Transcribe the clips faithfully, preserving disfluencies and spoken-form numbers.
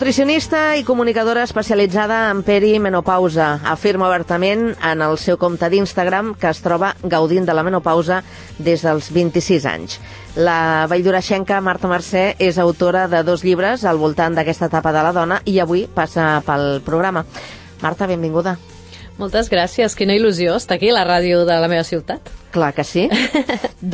Nutricionista i comunicadora especialitzada en perimenopausa. Afirma obertament en el seu compte d'Instagram que es troba gaudint de la menopausa des dels vint-i-sis anys. La valldoreixenca Marta Mercè és autora de dos llibres al voltant d'aquesta etapa de la dona i avui passa pel programa. Marta, benvinguda. Moltes gràcies, quina il·lusió estar aquí a la ràdio de la meva ciutat. Clar que sí.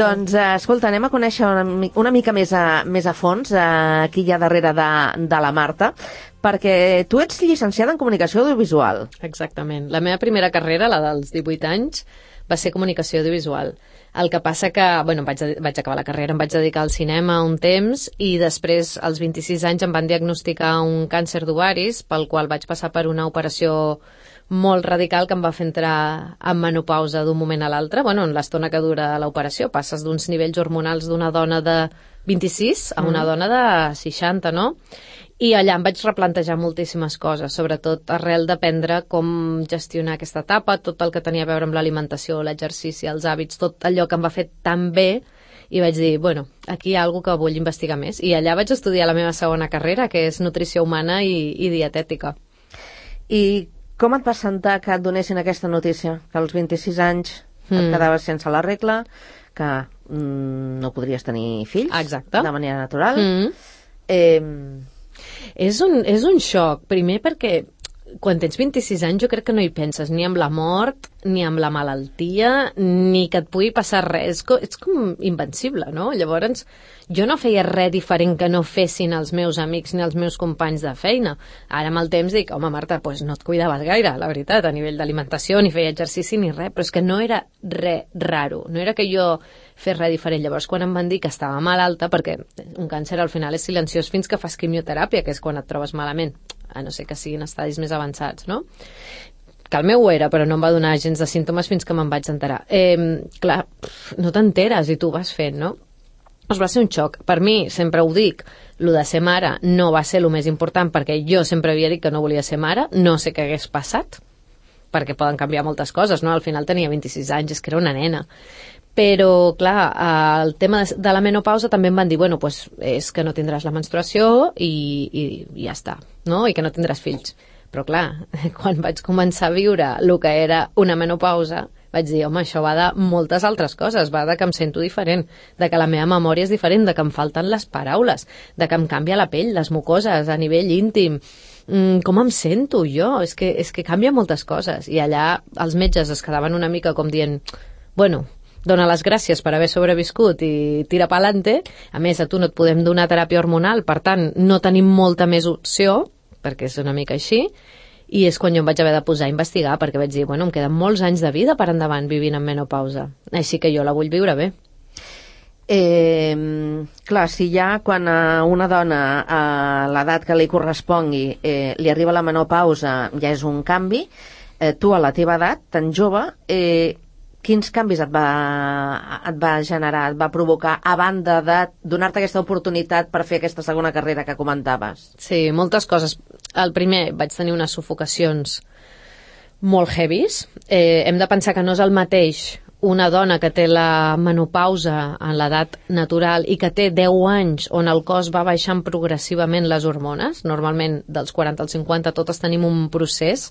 Doncs, escolta, anem a conèixer una, una mica més a, més a fons eh, aquí hi ha darrere de, de la Marta, perquè tu ets llicenciada en comunicació audiovisual. Exactament. La meva primera carrera, la dels divuit anys, va ser comunicació audiovisual. El que passa que, bueno, vaig, vaig acabar la carrera, em vaig dedicar al cinema un temps i després, als vint-i-sis anys, em van diagnosticar un càncer d'ovaris, pel qual vaig passar per una operació molt radical que em va fer entrar en menopausa d'un moment a l'altre. Bueno, en l'estona que dura l'operació passes d'uns nivells hormonals d'una dona de vint-i-sis a una mm. dona de seixanta, no? I allà em vaig replantejar moltíssimes coses, sobretot arrel d'aprendre com gestionar aquesta etapa, tot el que tenia a veure amb l'alimentació, l'exercici, els hàbits, tot allò que em va fer tan bé, i vaig dir, bueno, aquí hi ha alguna que vull investigar més. I allà vaig estudiar la meva segona carrera, que és nutrició humana i, i dietètica. I com et va sentar que et donessin aquesta notícia? Que als vint-i-sis anys mm. et quedaves sense la regla, que mm, no podries tenir fills Exacte. De manera natural. Mm. Eh... És un, és un xoc, primer perquè quan tens vint-i-sis anys jo crec que no hi penses ni amb la mort, ni amb la malaltia, ni que et pugui passar res. Ets com invencible, no? Llavors, jo no feia res diferent que no fessin els meus amics ni els meus companys de feina. Ara amb el temps dic, home, Marta, pues no et cuidaves gaire, la veritat, a nivell d'alimentació, ni feia exercici ni res, però és que no era res raro, no era que jo fes res diferent. Llavors, quan em van dir que estava malalta, perquè un càncer al final és silenciós fins que fas quimioteràpia, que és quan et trobes malament, a no ser que siguin estadis més avançats, no? Que el meu ho era, però no em va donar gens de símptomes fins que me'n vaig enterar. Eh, clar, no t'enteres i tu vas fent, no? Doncs va ser un xoc. Per mi, sempre ho dic, lo de ser mare no va ser el més important, perquè jo sempre havia dit que no volia ser mare, no sé què hagués passat, perquè poden canviar moltes coses, no? Al final tenia vint-i-sis anys, és que era una nena. Però, clar, el tema de la menopausa també em van dir, bueno, pues és que no tindràs la menstruació i, i, i ja està, no? I que no tindràs fills. Però, clar, quan vaig començar a viure el que era una menopausa, vaig dir, home, això va de moltes altres coses, va de que em sento diferent, de que la meva memòria és diferent, de que em falten les paraules, de que em canvia la pell, les mucoses, a nivell íntim, mm, com em sento jo, és que, és que canvia moltes coses. I allà els metges es quedaven una mica com dient, bueno, dona les gràcies per haver sobreviscut i tira pa'lante. A més, a tu no et podem donar teràpia hormonal, per tant, no tenim molta més opció, perquè és una mica així, i és quan jo em vaig haver de posar a investigar, perquè vaig dir, bueno, em queden molts anys de vida per endavant vivint en menopausa, així que jo la vull viure bé. Eh, clar, si ja quan a una dona a l'edat que li correspongui eh, li arriba la menopausa ja és un canvi, eh, tu a la teva edat, tan jove, eh, quins canvis et va, et va generar, et va provocar, a banda de donar-te aquesta oportunitat per fer aquesta segona carrera que comentaves? Sí, moltes coses. El primer, vaig tenir unes sufocacions molt heavies. Eh, hem de pensar que no és el mateix una dona que té la menopausa en l'edat natural i que té deu anys on el cos va baixant progressivament les hormones. Normalment, dels quaranta als cinquanta, totes tenim un procés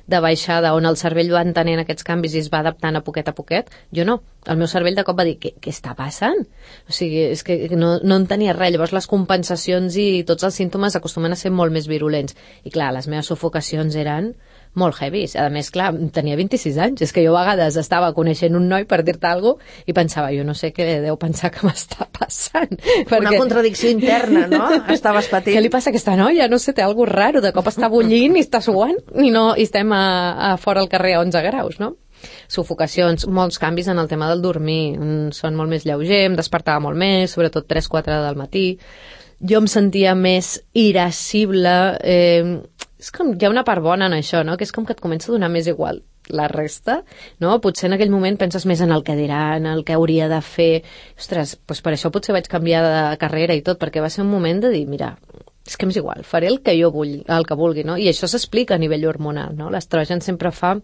de baixada on el cervell va entenent aquests canvis i es va adaptant a poquet a poquet. Jo no. El meu cervell de cop va dir, què, què està passant? O sigui, és que no, no entenia res. Llavors, les compensacions i tots els símptomes acostumen a ser molt més virulents. I clar, les meves sufocacions eren molt heavies. A més, clar, tenia vint-i-sis anys. És que jo a vegades estava coneixent un noi per dir-te alguna cosa i pensava, jo no sé què deu pensar que m'està passant. Perquè... Una contradicció interna, no? Estaves patint. Què li passa a aquesta noia? No sé, té alguna cosa raro. De cop està bullint i està suant i, no, i estem a, a fora al carrer a onze graus, no? Sufocacions, molts canvis en el tema del dormir. Un son molt més lleuger, em despertava molt més, sobretot tres quatre del matí. Jo em sentia més irascible. Eh, és com, hi ha una part bona en això, no? Que és com que et comença a donar més igual la resta, no? Potser en aquell moment penses més en el que diran, en el que hauria de fer. Ostres, doncs per això potser vaig canviar de carrera i tot, perquè va ser un moment de dir, mira, és que m'és igual, faré el que jo vull, el que vulgui, no? I això s'explica a nivell hormonal, no? L'estrogen sempre fa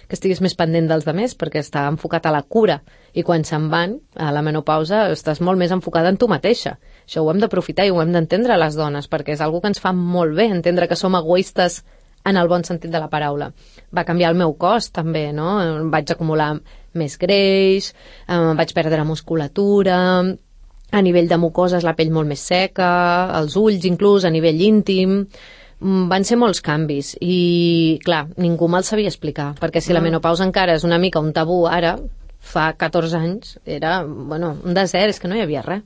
que estiguis més pendent dels demés, perquè està enfocat a la cura, i quan se'n van, a la menopausa, estàs molt més enfocada en tu mateixa. Això ho hem d'aprofitar i ho hem d'entendre les dones, perquè és una que ens fa molt bé, entendre que som egoistes en el bon sentit de la paraula. Va canviar el meu cos, també, no? Vaig acumular més greix, eh, vaig perdre musculatura, a nivell de mucoses la pell molt més seca, els ulls inclús, a nivell íntim. Van ser molts canvis i, clar, ningú me'l sabia explicar, perquè si la menopausa encara és una mica un tabú ara, fa catorze anys, era, bueno, un desert, és que no hi havia res.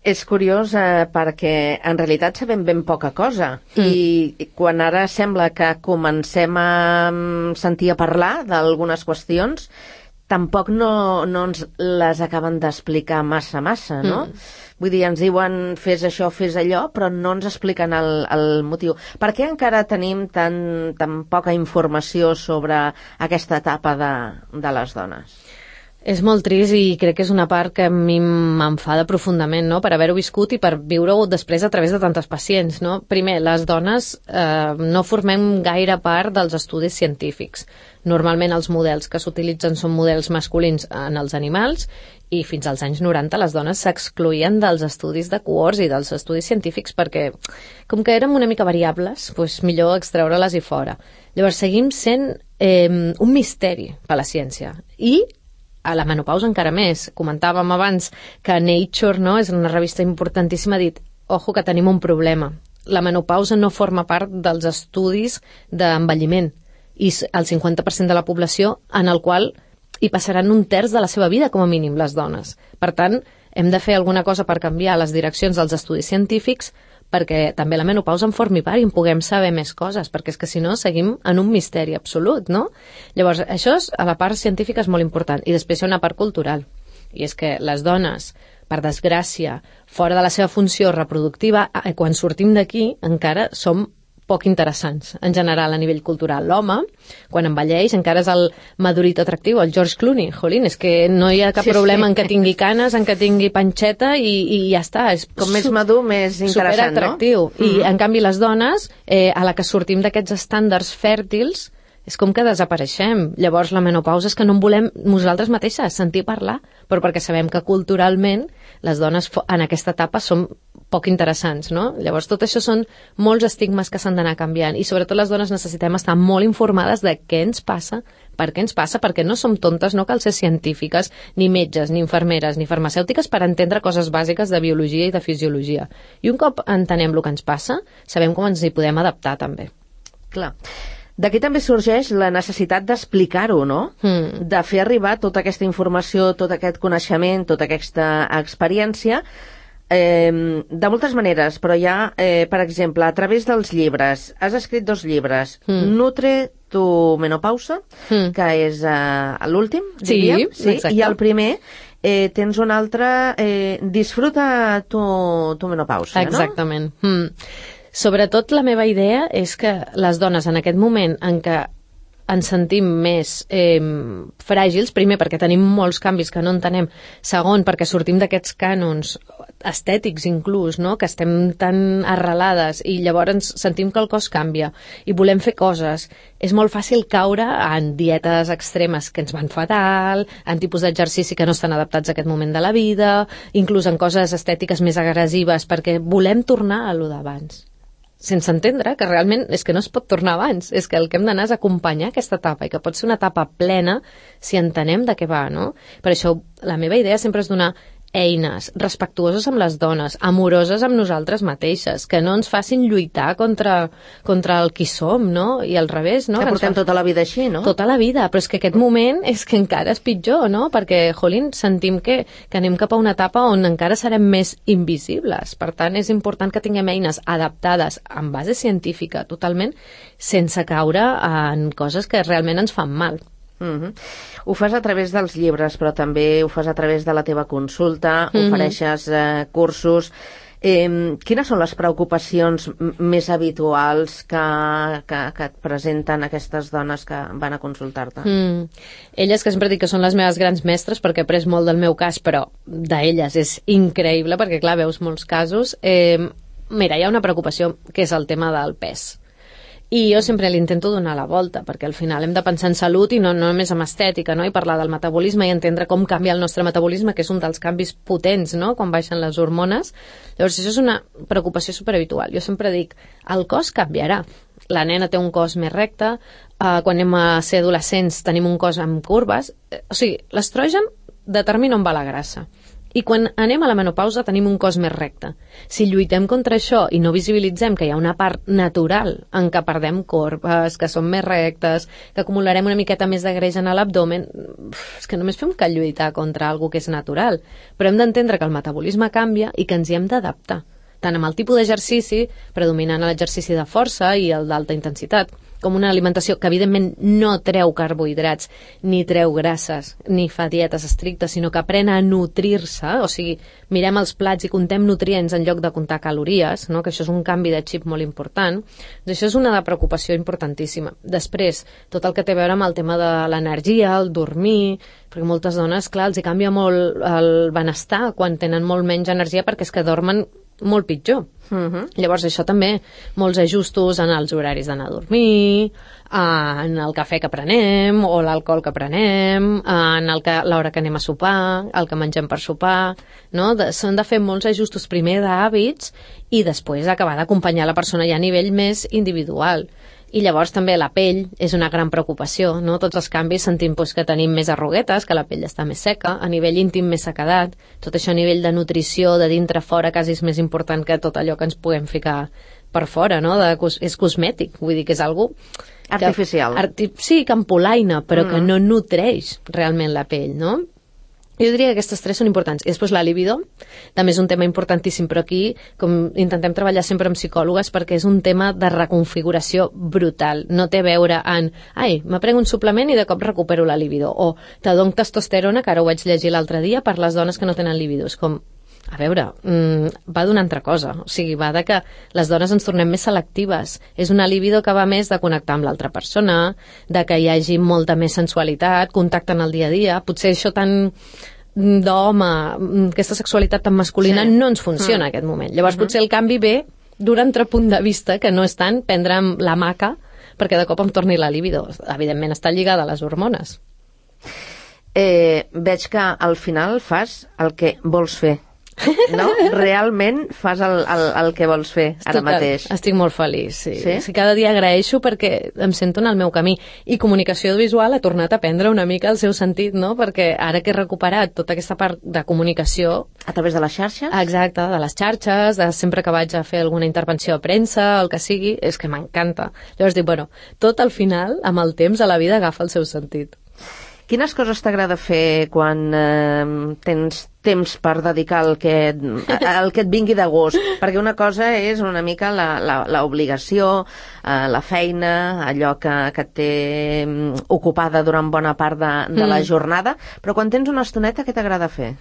És curiós eh, perquè en realitat sabem ben poca cosa mm. i quan ara sembla que comencem a sentir a parlar d'algunes qüestions, tampoc no, no ens les acaben d'explicar massa, massa, no? Mm. Vull dir, ens diuen fes això, fes allò, però no ens expliquen el, el motiu. Per què encara tenim tan, tan poca informació sobre aquesta etapa de, de les dones? És molt trist i crec que és una part que a mi m'enfada profundament, no?, per haver-ho viscut i per viure-ho després a través de tantes pacients, no? Primer, les dones eh, no formem gaire part dels estudis científics. Normalment els models que s'utilitzen són models masculins en els animals i fins als anys noranta les dones s'excloïen dels estudis de cohorts i dels estudis científics perquè, com que érem una mica variables, doncs millor extreure-les i fora. Llavors seguim sent eh, un misteri per la ciència i a la menopausa encara més. Comentàvem abans que Nature, no?, és una revista importantíssima, ha dit, ojo que tenim un problema. La menopausa no forma part dels estudis d'envelliment i el cinquanta per cent de la població en el qual hi passaran un terç de la seva vida, com a mínim, les dones. Per tant, hem de fer alguna cosa per canviar les direccions dels estudis científics perquè també la menopausa en formi part i en puguem saber més coses, perquè és que si no seguim en un misteri absolut, no? Llavors, això és, a la part científica és molt important. I després hi ha una part cultural, i és que les dones, per desgràcia, fora de la seva funció reproductiva, quan sortim d'aquí encara som poc interessants, en general, a nivell cultural. L'home, quan envelleix, encara és el madurit atractiu, el George Clooney. Jolín, és que no hi ha cap sí, problema sí. en que tingui canes, en que tingui panxeta i, i ja està. És com més madur, més interessant, superatractiu. No? I, mm-hmm. en canvi, les dones, eh, a la que sortim d'aquests estàndards fèrtils, és com que desapareixem. Llavors, la menopausa és que no en volem nosaltres mateixes sentir parlar, però perquè sabem que culturalment les dones en aquesta etapa són poc interessants, no? Llavors, tot això són molts estigmes que s'han d'anar canviant i sobretot les dones necessitem estar molt informades de què ens passa, per què ens passa, perquè no som tontes, no cal ser científiques, ni metges, ni infermeres, ni farmacèutiques per entendre coses bàsiques de biologia i de fisiologia. I un cop entenem el que ens passa, sabem com ens hi podem adaptar, també. Clar. D'aquí també sorgeix la necessitat d'explicar-ho, no? Mm. De fer arribar tota aquesta informació, tot aquest coneixement, tota aquesta experiència, eh, de moltes maneres, però ja, eh, per exemple, a través dels llibres. Has escrit dos llibres, mm. Nutre tu menopausa, mm. que és eh, l'últim, sí, diríem, sí, exacte. I el primer eh, tens un altre, eh, Disfruta tu, tu menopausa, exactament. No? Mm. Sobretot la meva idea és que les dones en aquest moment en què ens sentim més eh, fràgils, primer perquè tenim molts canvis que no entenem, segon perquè sortim d'aquests cànons estètics inclús, no?, que estem tan arrelades i llavors sentim que el cos canvia i volem fer coses. És molt fàcil caure en dietes extremes que ens van fatal, en tipus d'exercici que no estan adaptats a aquest moment de la vida, inclús en coses estètiques més agressives perquè volem tornar a lo d'abans. Sense entendre que realment és que no es pot tornar abans, és que el que hem d'anar és acompanyar aquesta etapa i que pot ser una etapa plena si entenem de què va, no? Per això la meva idea sempre és donar eines respectuoses amb les dones, amoroses amb nosaltres mateixes, que no ens facin lluitar contra, contra el qui som, no? I al revés, no? Que portem fa... tota la vida així, no? Tota la vida, però és que aquest moment és que encara és pitjor, no? Perquè, jolín, sentim que, que anem cap a una etapa on encara serem més invisibles. Per tant, és important que tinguem eines adaptades en base científica, totalment, sense caure en coses que realment ens fan mal. Uh-huh. Ho fas a través dels llibres, però també ho fas a través de la teva consulta, uh-huh. ofereixes eh, cursos. Eh, quines són les preocupacions més habituals que, que, que et presenten aquestes dones que van a consultar-te? Mm. Elles, que sempre dic que són les meves grans mestres, perquè he après molt del meu cas, però d'elles és increïble, perquè clar, veus molts casos. Eh, mira, hi ha una preocupació que és el tema del pes. I jo sempre li intento donar la volta, perquè al final hem de pensar en salut i no, no només en estètica, no? I parlar del metabolisme i entendre com canvia el nostre metabolisme, que és un dels canvis potents, no? Quan baixen les hormones. Llavors, això és una preocupació superhabitual. Jo sempre dic, el cos canviarà. La nena té un cos més recte, eh, quan anem a ser adolescents tenim un cos amb curves. Eh, o sigui, l'estrogen determina on va la grassa. I quan anem a la menopausa tenim un cos més recte. Si lluitem contra això i no visibilitzem que hi ha una part natural en què perdem corbes, que són més rectes, que acumularem una miqueta més de greix en l'abdomen, és que només fem que lluitar contra alguna que és natural. Però hem d'entendre que el metabolisme canvia i que ens hi hem d'adaptar, tant amb el tipus d'exercici, predominant l'exercici de força i el d'alta intensitat, com una alimentació que evidentment no treu carbohidrats, ni treu grasses, ni fa dietes estrictes, sinó que aprèn a nutrir-se, o sigui, mirem els plats i contem nutrients en lloc de comptar calories, no? Que això és un canvi de xip molt important. Doncs això és una preocupació importantíssima. Després, tot el que té a veure amb el tema de l'energia, el dormir, perquè moltes dones, clar, els hi canvia molt el benestar quan tenen molt menys energia perquè és que dormen molt pitjor. Uh-huh. Llavors això també, molts ajustos en els horaris d'anar a dormir, en el cafè que prenem o l'alcohol que prenem, en el que, l'hora que anem a sopar, el que mengem per sopar, no? De, s'han de fer molts ajustos primer d'hàbits i després acabar d'acompanyar la persona ja a nivell més individual. I llavors també la pell és una gran preocupació, no? Tots els canvis sentim pues, que tenim més arruguetes, que la pell està més seca, a nivell íntim més sequedat, tot això a nivell de nutrició, de dintre a fora, quasi és més important que tot allò que ens puguem ficar per fora, no? De, és cosmètic, vull dir que és algú artificial. Que, arti sí, que empolaina, però mm. que no nutreix realment la pell, no? Jo diria que aquestes tres són importants. I després la libido, també és un tema importantíssim, però aquí com intentem treballar sempre amb psicòlogues perquè és un tema de reconfiguració brutal. No té a veure en, ai, me prenc un suplement i de cop recupero la libido, o te dono testosterona, que ara ho vaig llegir l'altre dia, per les dones que no tenen libido. És com, a veure, mmm, va d'una altra cosa. O sigui, va de que les dones ens tornem més selectives. És una libido que va més de connectar amb l'altra persona, de que hi hagi molta més sensualitat, contacte en el dia a dia. Potser això tan d'home, aquesta sexualitat tan masculina sí. no ens funciona mm. en aquest moment. Llavors uh -huh. potser el canvi ve d'un altre punt de vista, que no és tant prendre la maca perquè de cop em torni la libido. Evidentment està lligada a les hormones. Eh, veig que al final fas el que vols fer. No? Realment fas el, el, el que vols fer ara Total, mateix. Estic molt feliç, sí. Sí? sí. Cada dia agraeixo perquè em sento en el meu camí. I comunicació visual ha tornat a prendre una mica el seu sentit, no? Perquè ara que he recuperat tota aquesta part de comunicació... A través de les xarxes? Exacte, de les xarxes, de sempre que vaig a fer alguna intervenció a premsa, el que sigui, és que m'encanta. Llavors dic, bueno, tot al final, amb el temps, a la vida agafa el seu sentit. Quines coses t'agrada fer quan eh, tens temps per dedicar el que, el que et vingui de gust? Perquè una cosa és una mica l'obligació, eh, la feina, allò que, que et té ocupada durant bona part de, de mm. la jornada, però quan tens una estoneta, què t'agrada fer?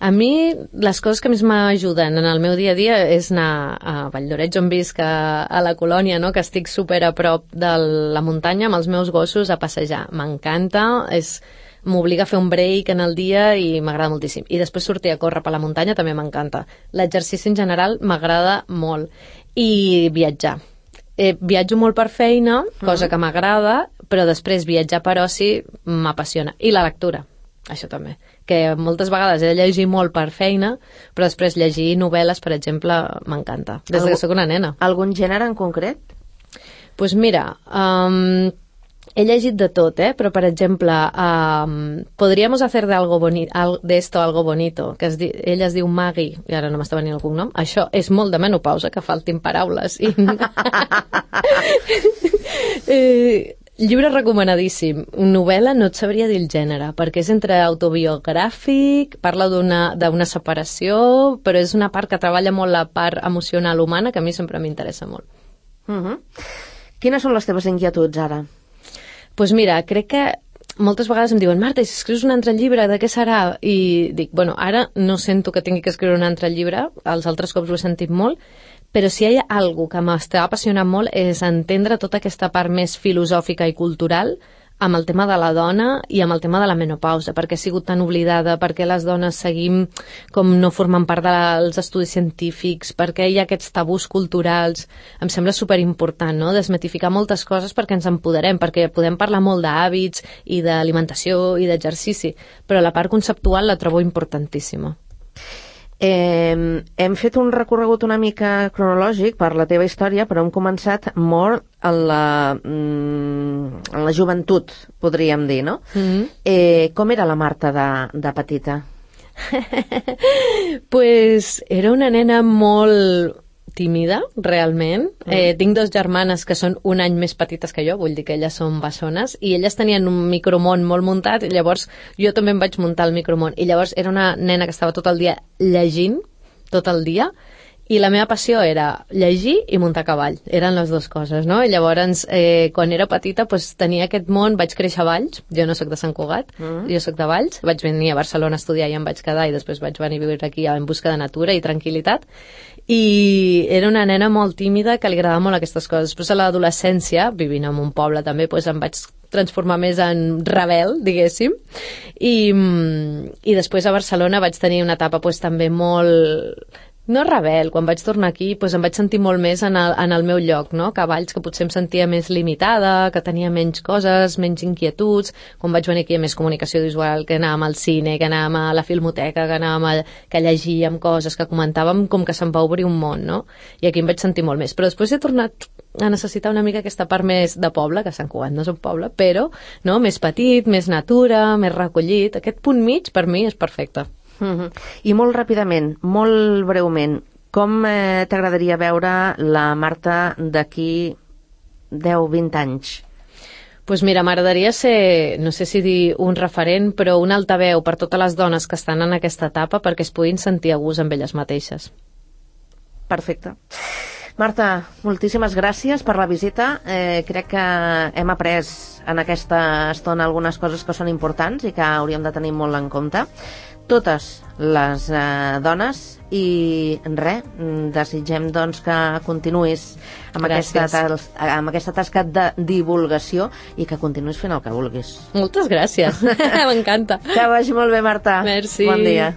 A mi, les coses que més m'ajuden en el meu dia a dia és anar a Valldoreix, on visc, a, a la colònia, no? Que estic super a prop de la muntanya amb els meus gossos a passejar. M'encanta, és... m'obliga a fer un break en el dia i m'agrada moltíssim. I després sortir a córrer per la muntanya també m'encanta. L'exercici en general m'agrada molt. I viatjar. Eh, viatjo molt per feina, cosa que m'agrada, però després viatjar per oci m'apassiona. I la lectura, això també. Que moltes vegades he de llegir molt per feina, però després llegir novel·les, per exemple, m'encanta. Des Algú, que sóc una nena. Algun gènere en concret? Doncs pues mira... Um, he llegit de tot, eh? Però, per exemple, um, podríamos hacer de, algo boni al, de esto algo bonito, que es di ella es diu Maggie, i ara no m'està venint el cognom. Això és molt de menopausa, que faltin paraules. I... eh, llibre recomanadíssim. Novel·la no et sabria dir el gènere, perquè és entre autobiogràfic, parla d'una separació, però és una part que treballa molt la part emocional humana, que a mi sempre m'interessa molt. Uh -huh. Quines són les teves inquietuds ara? Doncs pues mira, crec que moltes vegades em diuen, Marta, i si escrius un altre llibre, de què serà? I dic, bueno, ara no sento que tingui que escriure un altre llibre, els altres cops ho he sentit molt, però si hi ha alguna que m'està apassionant molt és entendre tota aquesta part més filosòfica i cultural amb el tema de la dona i amb el tema de la menopausa, perquè ha sigut tan oblidada, perquè les dones seguim com no formant part dels estudis científics, perquè hi ha aquests tabús culturals. Em sembla superimportant, no?, desmitificar moltes coses perquè ens empoderem, perquè podem parlar molt d'hàbits i d'alimentació i d'exercici, però la part conceptual la trobo importantíssima. Eh, hem fet un recorregut una mica cronològic per la teva història, però hem començat molt en la, mm, en la joventut, podríem dir, no? Mm-hmm. Eh, com era la Marta de, de petita? Pues era una nena molt tímida, realment. Mm. Eh, tinc dos germanes que són un any més petites que jo, vull dir que elles són bessones, i elles tenien un micromón molt muntat, i llavors jo també em vaig muntar el micromón. I llavors era una nena que estava tot el dia llegint, tot el dia, i la meva passió era llegir i muntar a cavall. Eren les dues coses, no? I llavors, eh, quan era petita, pues, tenia aquest món, vaig créixer a Valls, jo no sóc de Sant Cugat, mm. jo sóc de Valls, vaig venir a Barcelona a estudiar i em vaig quedar, i després vaig venir a viure aquí en busca de natura i tranquil·litat, i era una nena molt tímida que li agradava molt aquestes coses. Després a l'adolescència, vivint en un poble també, pues, em vaig transformar més en rebel, diguéssim, i, i després a Barcelona vaig tenir una etapa pues, també molt... no rebel, quan vaig tornar aquí doncs em vaig sentir molt més en el, en el meu lloc, no? Que a Valls, que potser em sentia més limitada, que tenia menys coses, menys inquietuds. Quan vaig venir aquí hi ha més comunicació visual, que anàvem al cine, que anàvem a la filmoteca, que anàvem a, que llegíem coses, que comentàvem, com que se'm va obrir un món, no? I aquí em vaig sentir molt més. Però després he tornat a necessitar una mica aquesta part més de poble, que Sant Cugat no és un poble, però no? Més petit, més natura, més recollit. Aquest punt mig per mi és perfecte. Uh-huh. I molt ràpidament, molt breument, com eh, t'agradaria veure la Marta d'aquí deu vint anys? Pues mira, m'agradaria ser, no sé si dir un referent, però un altaveu per totes les dones que estan en aquesta etapa perquè es puguin sentir a gust amb elles mateixes. Perfecte. Marta, moltíssimes gràcies per la visita. Eh, crec que hem après en aquesta estona algunes coses que són importants i que hauríem de tenir molt en compte. Totes les eh, dones, i res, desitgem doncs que continuïs amb aquesta, amb aquesta tasca de divulgació i que continuïs fent el que vulguis. Moltes gràcies, m'encanta. Que vagi molt bé, Marta. Merci. Bon dia.